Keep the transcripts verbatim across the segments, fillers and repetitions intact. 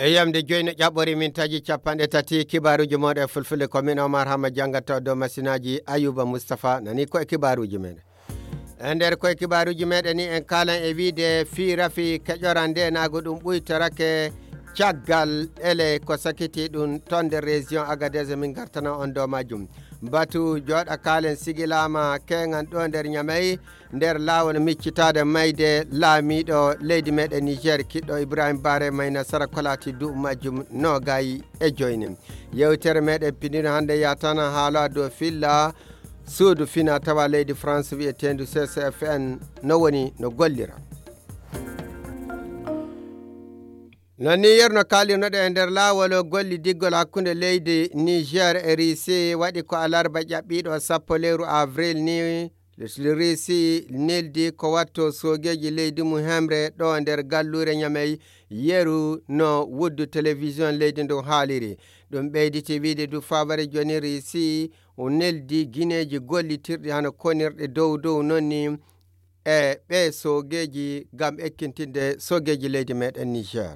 Yamde joyi no ƴaɓɓori min taji capanɗe tati kibaaruuji mooɗon e fulfulde, ko min Omar Hama janngata dow masinaaji Ayuba Mustafa nani ko e kibaaruuji meɗen. E nder koye kibaaruuji meɗen ni en kaalan e wiide fii rafi keƴoran nde naago ɗum ɓuytorake caggal ele ko sakiti ɗum ton nder région Agadez, min gartana on dow majjum. Batu jooɗa kaalen sigilaama keŋan ɗo nder Ñamey, nder laawol miccitaade mayde laamiiɗo leydi meɗen Niger, kiɗɗo Ibrahim Bare May Nasara ko laati duuɓi majjum noogay e joyni. Yewtere meɗen pinino hannde yatana haala dow filla suudu fina tawa leydi France wiyeteendu C C F N no woni no gollira. No ni yerno kaalirnoɗen e nder laawol gollidiggol hakkunde leydi Niger e Risi waɗi ko alarba ƴaɓɓiiɗo sappo lewru avril ni, Risi neldi ko watto soogeeji leydi mum hemre ɗo nder galluure Ñamey, yeru no wuddu télévision leydi ndun haaliri. Ɗum ɓeyditi wiide du faware joni Risi o neldi gineeji gollitirɗi hano konirɗe dow dow non ni e ɓe soogeeji ngam ekkintinde soogeeji leydi meɗen Niger.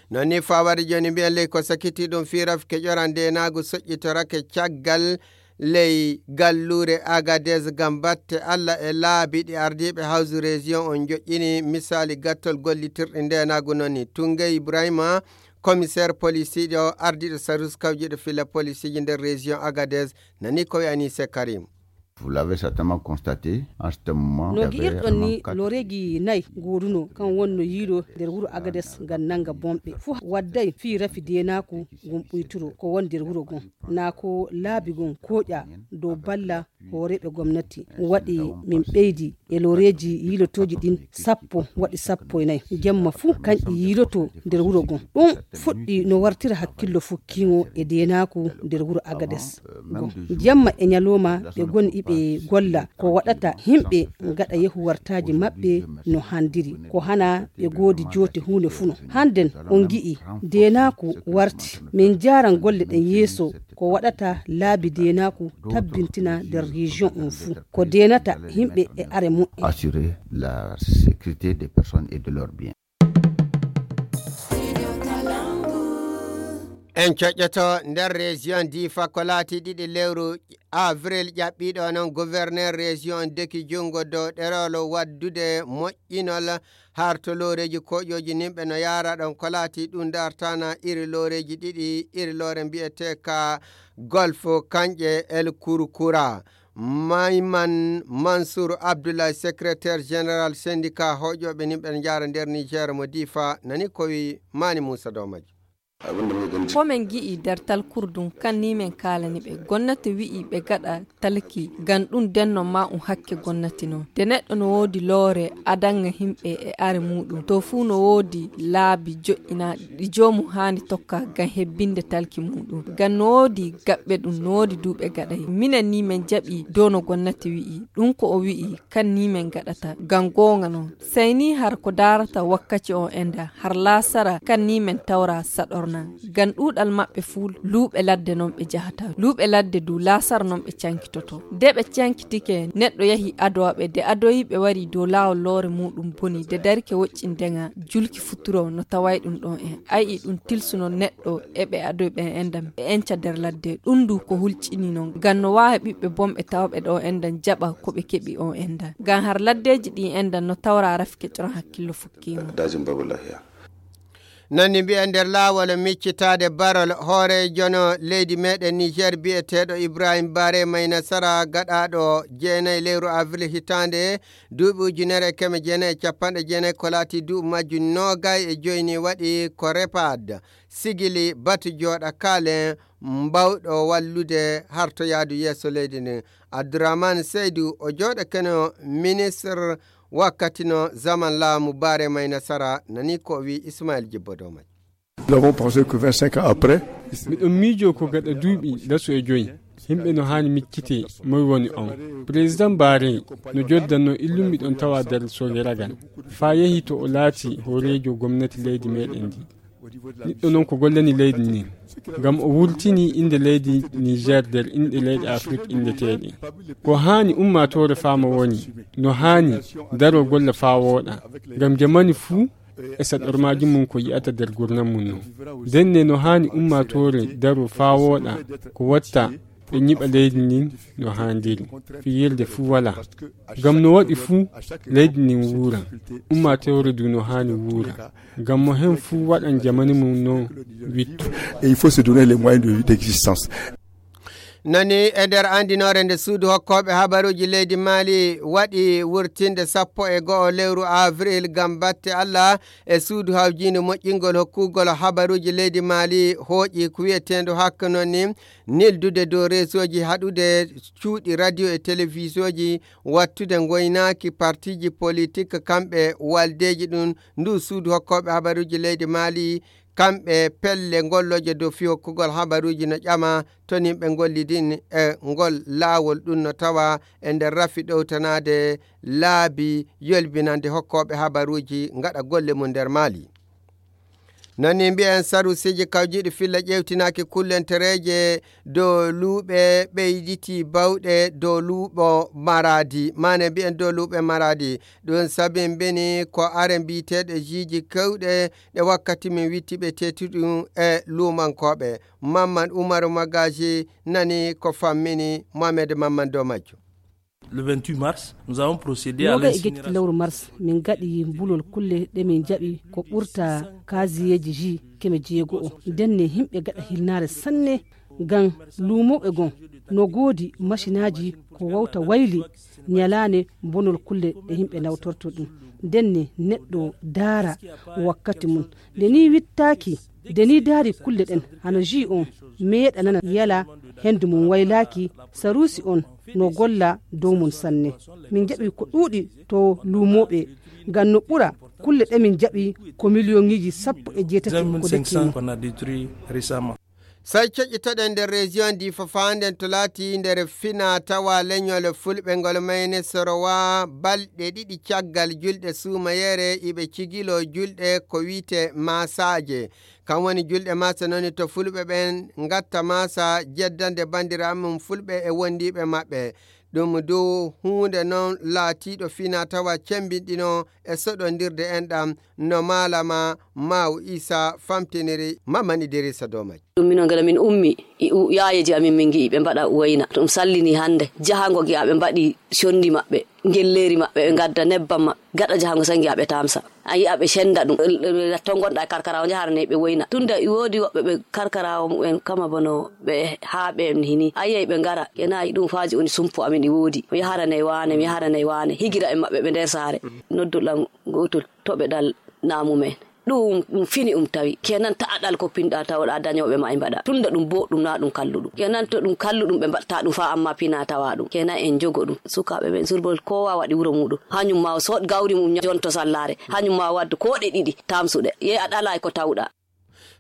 Non ni fawade joni mbiyen ley ko sakiti ɗum fii rafke ƴoran ndenaagu soƴƴitorake caggal ley galluure Agadez ngam batte Alla e laabi ɗi ardiiɓe hawsu région on joƴƴini misali gattol gollitirɗi ndenaagu non ni. Tungey Ibrahima, commissaire police ɗo ardiiɗo sarus kawjiɗo filla policeji nder région Agadez nani ko wiyani se Karim. Vous l'avez certainement constaté, en ce moment, no il y avait gi'irɗon ni vraiment quatre looreeji nayi gooduno kan wonno yiiɗo nder wuro Agades ngam nannga bomɓe. Fof wadday fii rafi deenaaku ngun ɓuyturo ko won nder wuro ngun. Naa ko laabi ngun kooƴa dow balla hooreeɓe gomnati. Waɗi min ɓeydi e looreeji yiilotooji ɗin sappo waɗi sappo e nayi. Jemma fuu kanƴi yiiloto nder wuro ngon. Ɗum fuɗɗi no wartira hakkillo fukkiingo e deenaaku nder wuro Agades. Goo. Jemma e ñalooma ɓe goni iɓe golla ko waɗata yimɓe ngaɗa yehu wartaaji maɓɓe no handiri. Ko hana ɓe goodi joote huunde fuu no. Hannden on ngi'i deenaaku warti. Min njaaran golle ɗen yeeso ko waɗata laabi deenaaku tabbintina nder région on fuu. Ko deenata yimɓe e are mu'en. Assurer la sécurité des personnes et de leurs biens. En coƴƴoto nder région Difa ko laati ɗiɗi lewru avril ƴaɓɓiiɗo non gouverneur région deki junngo dow ɗerol waddude moƴƴinol harto looreeji koƴooji nimɓe no yaara ɗon ko laati ɗum dartana iri looreeji ɗiɗi, iri loore mbiyetee ka Golf Kanƴe El Kurkura. Mayman Mansour Abdoulaye, secrétaire général syndicat hoƴooɓe nimɓe no jaara nder Niger mo Difa, nani ko wi Mani Moussa Domaji. Ko min ngi'i nder talkurdun kan ni min kaalani ɓe. Gomnati wi'i ɓe gaɗa talki, ngam ɗum denno ma un hakke gomnati non. Nde neɗɗo no woodi loore adanga himɓe e are muɗum, to fuu no woodi laabi jo'ina ɗi joomum haani tokka ngam hebbinde talki muɗum. Ngam no woodi gaɓɓe ɗum, no woodi duuɓe gaɗay. Minen ni min jaɓi dow no gomnati wi'i. Ɗum ko o wi'i, kan ni min gaɗata. Ngam goonga non. Sey ni har ko daarata wakkaci on enda, har laasara kan ni min tawra saɗorna. Ngam ɗuuɗal maɓɓe fuu luuɓe ladde non ɓe jahata. Luuɓe ladde du laasara non ɓe cankitoto. Nde ɓe cankitike, neɗɗo yahi adowa ɓe, nde adoyi ɓe wari dow laawol loore muɗum boni, nde darike woƴƴindenga, julki futuro no taway ɗum ɗon en. Ayi ɗum tilsuno neɗɗo e ɓe adoy ɓen enda ɓe enca nder ladde. Ɗum du ko hulcini non. Ngam no waawi ɓiɓɓe bonɓe tawɓe ɗo enda jaɓa ko ɓe keɓi on enda. Ngam har laddeeji ɗin enda no tawra rafi keƴoran hakkillo fukkiimo. Dajin Babulahiya. Nani mbiya nder laawol miccitaade barol hooreejono leydi meɗen Niger biyeteeɗo Ibrahim Bare May Nasara gaɗaaɗo jeenayi lewru avril hitaande duuɓi ujunere e keme jeenayi e capanɗe jeenayi ko laati duuɓi majjum noogay e joyni waɗi ko repad sigili batu jooɗa kaalen mbawɗo wallude harto yaadu yeeso leydi ndin. Abdourahmane Seydou o jooɗakeno ministre wakkati no zaman laamu Bare May Nasara nani ko o wi Ismail Jibbo dow majjum. Nous avons pensé que vingt-cinq ans après, miɗon miijo ko gaɗa duuɓi laso e joyi, yimɓe no haani miccite moy woni on. Président Bare no joddanno illum miɗon tawa nder sogeragal. Faa yehi to o laati hooreejo gomnati leydi meɗen ndi. Niɗɗo non ko gollani leydi ndin. Ngam o wurtini innde leydi Niger nder inɗe leyɗe Afrik inndeteeɗe. Ko haani ummaatoore faama woni, no haani daroo golla faa wooɗa. Ngam jamani fuu, E saɗormaaji mum ko yi'ata nder gurnam mum non. Ndenne no haani ummaatoore daro faa wooɗa ko watta ɓe nyiɓa leydi ndin no haandiri. Fiyirde fuu walaa. Ngam no waɗi fuu, leydi ndin wuura. Ummaatoore du no haani wuura. Ngam mo heen fuu waɗan jamani mum non wittu. Et il faut se donner les moyens de, d'existence. Nani e nder anndinoore nde suudu hokkooɓe habaruuji leydi Mali waɗi wurtinde sappo e go'o lewru avril ngam batte Allah e suudu hawjiindu moƴƴingol hokkugol habaruuji leydi Mali hooƴi ko wiyeteendu hakka noon ni nildude dow reesooji haɗude cuuɗi radio e telefisooji wattude ngoynaaki partiiji politik kamɓe waldeeji ɗum ndu suudu hokkooɓe habaruuji leydi Mali kamɓe pelle gollooje dow fii hokkugol habaruuji no ƴama to nimɓe ngollidin e ngol laawol ɗum no tawa e nder rafi ɗowtanaade laabi yolbinande hokkooɓe habaruuji ngaɗa golle mum nder Mali. Nani mbiyen sarusiiji kawjiiɗi filla ƴeewtinaaki kullentereeje dow luuɓe ɓeyditi bawɗe dow luuɓo maraadi, maane mbiyen dow luuɓe maraadi. Ɗum sabi mbeni ko are mbiyeteeɗe jiiji kewɗe ɗe wakkati min witti ɓe teetuɗum e luumankooɓe. Mamman Umaru Magaji nani ko fammini Mohamed Mamman dow majjum. Le vingt-huit mars, nous avons procédé à noga e gecciti l'incinération. Lewru mars min gaɗi mbulol kulle ɗe min jaɓi ko ɓurta kasiyeeji ji keme jeego o ndenne yimɓe gaɗa hilnaare sanne ngam luumooɓe gon no goodi masinaaji ko wawta wayli ñalaande bonol kulle ɗe yimɓe nawtorto ɗum ndenne neɗɗo daara wakkati mum nde ni wittaaki nde ni daari kulle ɗen hano ji on meeɗa nana yala hendu mum waylaaki saruusi on no golla dow mum sanne min jaɓi ko ɗuuɗi to luumooɓe ngam no ɓura kulle ɗe min jaɓi ko miliyoŋiji sappo e jeetati ko dekkino. Say coƴƴitoɗen nder région di fofaanden to laati nder fina tawa leñol fulɓe ngol mayne sorowa balɗe ɗiɗi caggal julɗe suumayere iɓe cigilo julɗe ko wiite masaje kam woni julɗe masa noni to fulɓe ɓen ngatta masa jeddande bandiraɓe mum fulɓe e wondiɓe maɓɓe ɗum du huunde non laatiɗo fina tawa cembinɗino e soɗondirde enɗam no maalama maaw isa famtiniri maman idirisa dow majji. Ɗum minon gada min ummi yaayeji amin min ngi'i ɓe mbaɗa wayna ɗum sallini hannde jahango ngi'a ɓe mbaɗi condi maɓɓe ngelleeri maɓɓe ɓe ngadda nebbam maɓɓe gaɗa jahango sai ngi'a ɓe tamsa a yi'a ɓe senda ɗum to ngonɗa e karkarawo njahara ne ɓe wayna tunda e woodi woɓɓe ɓe karkarawo mumen kama bono ɓe haa ɓe hini a yi'ay ɓe ngara kenan ɗum faaji woni sumpo amin e woodi mi yaharanay waane mi yaharanay waane higira en maɓɓe ɓe nder saare nodduɗam gotol to ɓe ɗal namumen ɗum ɗum fini um tawi kenan ta'a ɗal ko pinɗa tawoɗa dañoɓe ma e mbaɗa tunda ɗum boɗɗum na ɗum kalluɗum kenan to ɗum kalluɗum ɓe mbaɗta ɗum fa amma pina tawa ɗum kenan en jogo ɗum sukaɓe ɓen surbol kowa waɗi wuro muɗum hañum ma o soɗ gawri mum jonto sallare hañum ma o waddu koɗe ɗiɗi tamsuɗe yehi a ɗalay ko tawɗa.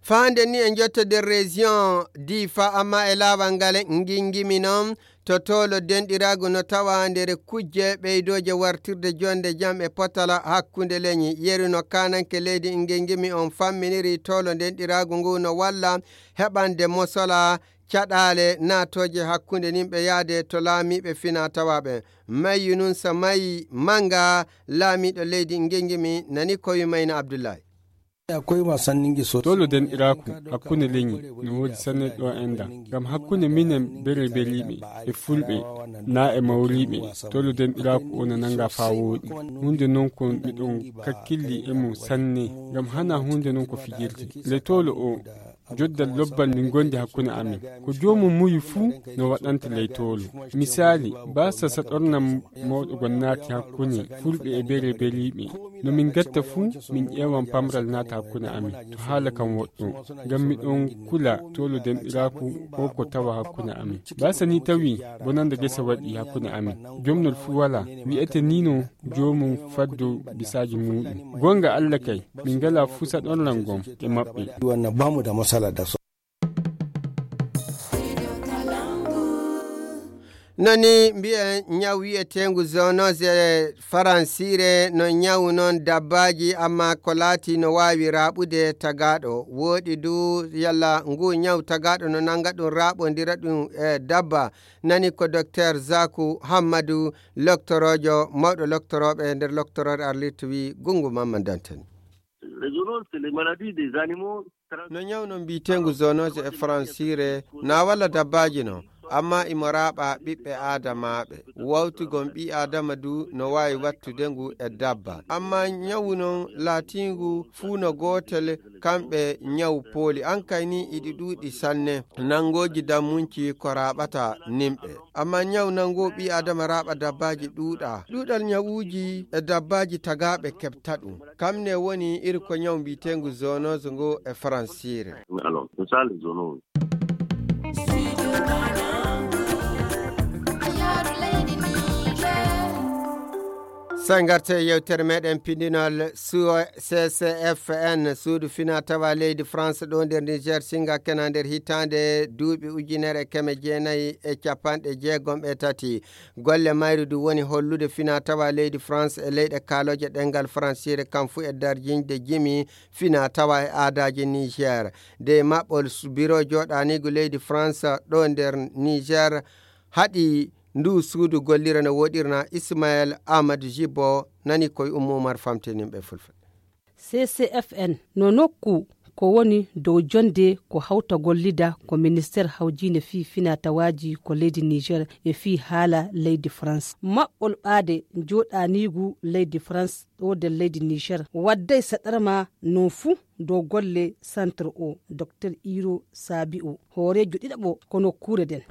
Faande ni e jottodir région difa amma e laawal ngal ngingimi noon to toolo denɗiraagu no tawa nder kujje ɓeydooje wartirde jonde jam e potala hakkunde leñi yeru no kananke leydi ngingimi on famminiri toolo denɗiraagu ngu no walla heɓande mosola caɗaale naatooje hakkunde nimɓe yaade to laamiiɓe fina tawaaɓe mayyu nun sa mayi manga laamiiɗo leydi ngingimi nani kowi mayna abdullahi. Tolo denɗiraaku hakkunde leñi no woodi sanne ɗo enɗan ngam hakkunde minen bereberiiɓe e fulɓe naa e mawriiɓe tolo denɗiraaku o no nannga faa wooɗi huunde non ko miɗon kakkilli e mum sanne ngam hanaa huunde non ko fijirde le tolo o joddal lobbal min ngondi hakkunde amin ko joomum muyu fuu no waɗanta ley toolo misaali baasa saɗornam mawɗo gon naati hakkunde fulɓe e bereberiiɓe no min gatta fuu min ƴeewan pamral naata hakkunde amin to haala kam woɗɗo ngam miɗon kula toolo denɗiraaku ko ko tawa hakkunde amin baasa ni tawi bonande gese waɗi hakkunde amin jomnol fuu walaa wi'ete ni no joomum faddo bisaaji muuɗum goonga alla kay min ngalaa fuu saɗornam gom e maɓɓe. Nani mbiyen ñaw wi'eteengu zoonose faransiire no ñawu noon dabbaaji amma ko laati no waawi raaɓude tagaaɗo wooɗi du yalla ngu ñaw tagaaɗo no nannga ɗum raaɓondira ɗum e dabba nani ko docteur zaku hammadu loktoroojo mawɗo loktorooɓe nder loktorooɗo arlirta wi gunngu mamma dantani. Les zoonoses, c'est les maladies des animaux. No ñaw non mbiyeteengu zoonose e faransiire, na walla dabbaaji non, amma imo raaɓa ɓiɓɓe aadamaaɓe. Wawtugol ɓii aadama du no waawi wattude ngu e dabba. Amma ñawu non laatiingu fuu no gootel, kamɓe ñaw pooli. An kay ni iɗi ɗuuɗi sanne, nangooji dammunci ko raaɓata nimɓe. Amma ñaw nangoo ɓii aadama raaɓa dabbaaji ɗuuɗa. Ɗuuɗal ñawuuji e dabbaaji tagaaɓe keɓta ɗum. Kam ne woni iri ko ñaw mbiyeteengu zoonose ngo e faransiire. Alors, c'est ça les zoonoses. Sey ngarte yewtere meɗen pindinol su-, C C F N, suudu fina tawa leydi France ɗo nder Niger, singa kena nder hitaande duuɓi ujunere e keme jeenayi e capanɗe jeegom e tati. Golle mayru du woni hollude fina tawa leydi France e leyɗe kaaloje ɗengal faransiire, kam fu e darjinde jimi fina tawa e aadaaji Niger. De maɓɓol s-, biro jooɗaaniigu leydi France ɗo nder Niger haɗi ndu suudu gollira no woɗirna. Ismaël Amadou Jibo nani koye Oumou Oumar famtininɓe fulfulde. C C F N no nokku ko woni dow jonde ko hawta gollida ko ministeer hawjiinde fii finatawaaji ko leydi Niger e fii haala leydi France. Maɓɓol ɓaade jooɗaaniigu leydi France ɗo nder leydi Niger wadday saɗarma non fuu dow golle centre o. Docteur Iro Sabi o hooreejo ɗiɗaɓo ko nokkuure nden.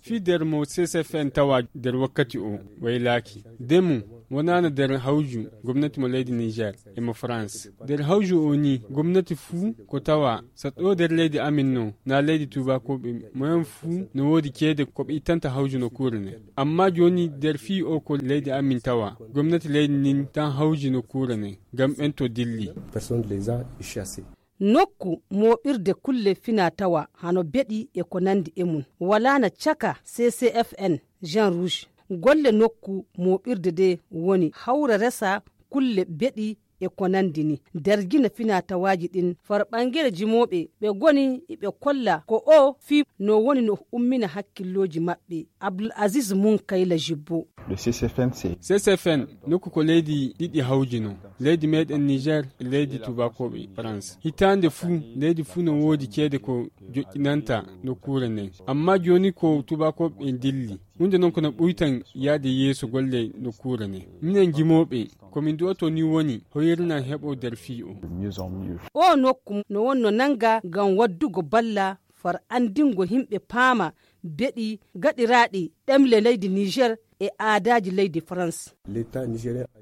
Fii nder mo C C F N tawa nder wakkati o waylaaki. Ndemu wonaano nder hawju gomnati mo leydi Niger e mo France. Nder hawju o ni gomnati fuu ko tawa saɗo nder leydi amin no na leydi tuubakooɓe moyen fuu no woodi ceede ko ɓe ittanta hawju nokkuure nden. Amma jooni nder fii o ko leydi amin tawa gomnati leydi nin tan hawji nokkuure nden ngam ɓen to dilli. Personne ne les a chassés. Nokku mooɓirde kulle fina tawa hano beɗi e ko nandi e mum. Walaana caka C C F N, Jean Rouge. Golle nokku mooɓirde de woni hawra resa kulle beɗi e ko nandi ni. Darjina fina tawaaji ɗin far ɓangere jimooɓe ɓe goni iɓe kolla ko o fi no woni no ummina hakkillooji maɓɓe. Abdul Aziz Munkayla Jibbo. Le C C F N, c'est C C F N, nokku ko leydi ɗiɗi hawjino. Leydi meɗen Niger e leydi tuubakooɓe France. Hitaande fuu, leydi fuu no woodi ceede ko joƴƴinanta nokkuure nden. Amma jooni ko tuubakooɓe dilli. Huunde non ko no ɓuytan yaade yeeso golle nokkuure nden. Minen jimooɓe, ko min du'oto ni woni hoyirna heɓo nder fii o. O nokku no wonno nanga ngam waddugo balla far andingo himɓe paama beɗi gaɗiraaɗi ɗemle leydi Niger e aadaaji leydi France.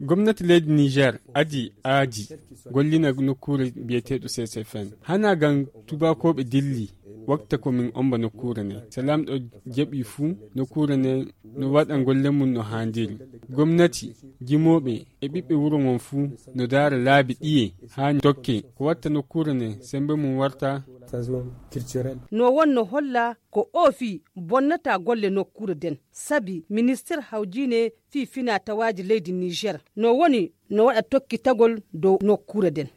Gomnati leydi Niger adi aadi gollina nokkuure biyeteeɗo C C F N. Hana ngam tuubakooɓe dilli wakta ko min omba nokkuure nden. So laamɗo jaɓi fuu nokkuure nden no waɗa golle mum no haandiri. Gomnati, jimooɓe e ɓiɓɓe wuro ngon fuu no daara laabi ɗiye haa tokke ko watta nokkuure nden sembe mum warta. No wonno holla ko o fii bonnata golle nokkuure nden. Sabi ministeer hawjiine fii fina tawaaji leydi Niger no woni no waɗa tokkitagol dow nokkuure nden.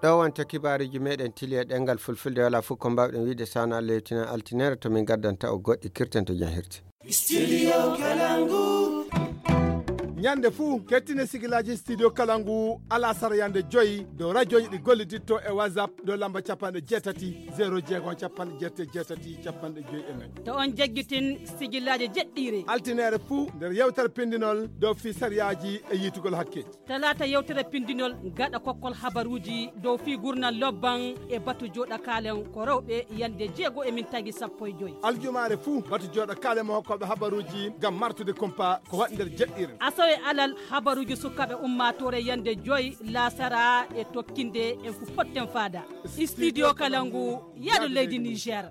Ɗo wonta kibaaruuji meɗen tili e ɗemngal fulfulde. Wala fof ko mbawɗen wiide sana Allah yewtina altine to min gaddanta o goɗɗi kirten to jam hirti. Studio Kalangu. Ñande fuu, kettine sigilaaji Studio Kalangu alasara yande joyi dow rajooji ɗi golliditto e WhatsApp dow lamba capanɗe jeetati, zéro jeegom, capanɗe jeetati, jeetati, capanɗe joyi e nayi. To on jaggitin sigilaaji jeɗɗiire. Altinere fuu nder yewtere pindinol dow fii sariyaaji e yiitugol hakke. Talaata yewtere pindinol gaɗa kokkol habaruuji dow fii gurnal lobban e batu jooɗa kaalen ko rewɓe yande jeego e min tagi sappo e joyi. Aljumaare fuu batu jooɗa kaalen mo hokkooɓe habaruuji ngam martude kumpa ko waɗi nder jeɗɗiire. Asawe alal habaruuji sukaaɓe ummaatoore yande joyi laasara e tokkinde en fu potten faada. Studio Kalangu, yaadu leydi Niger.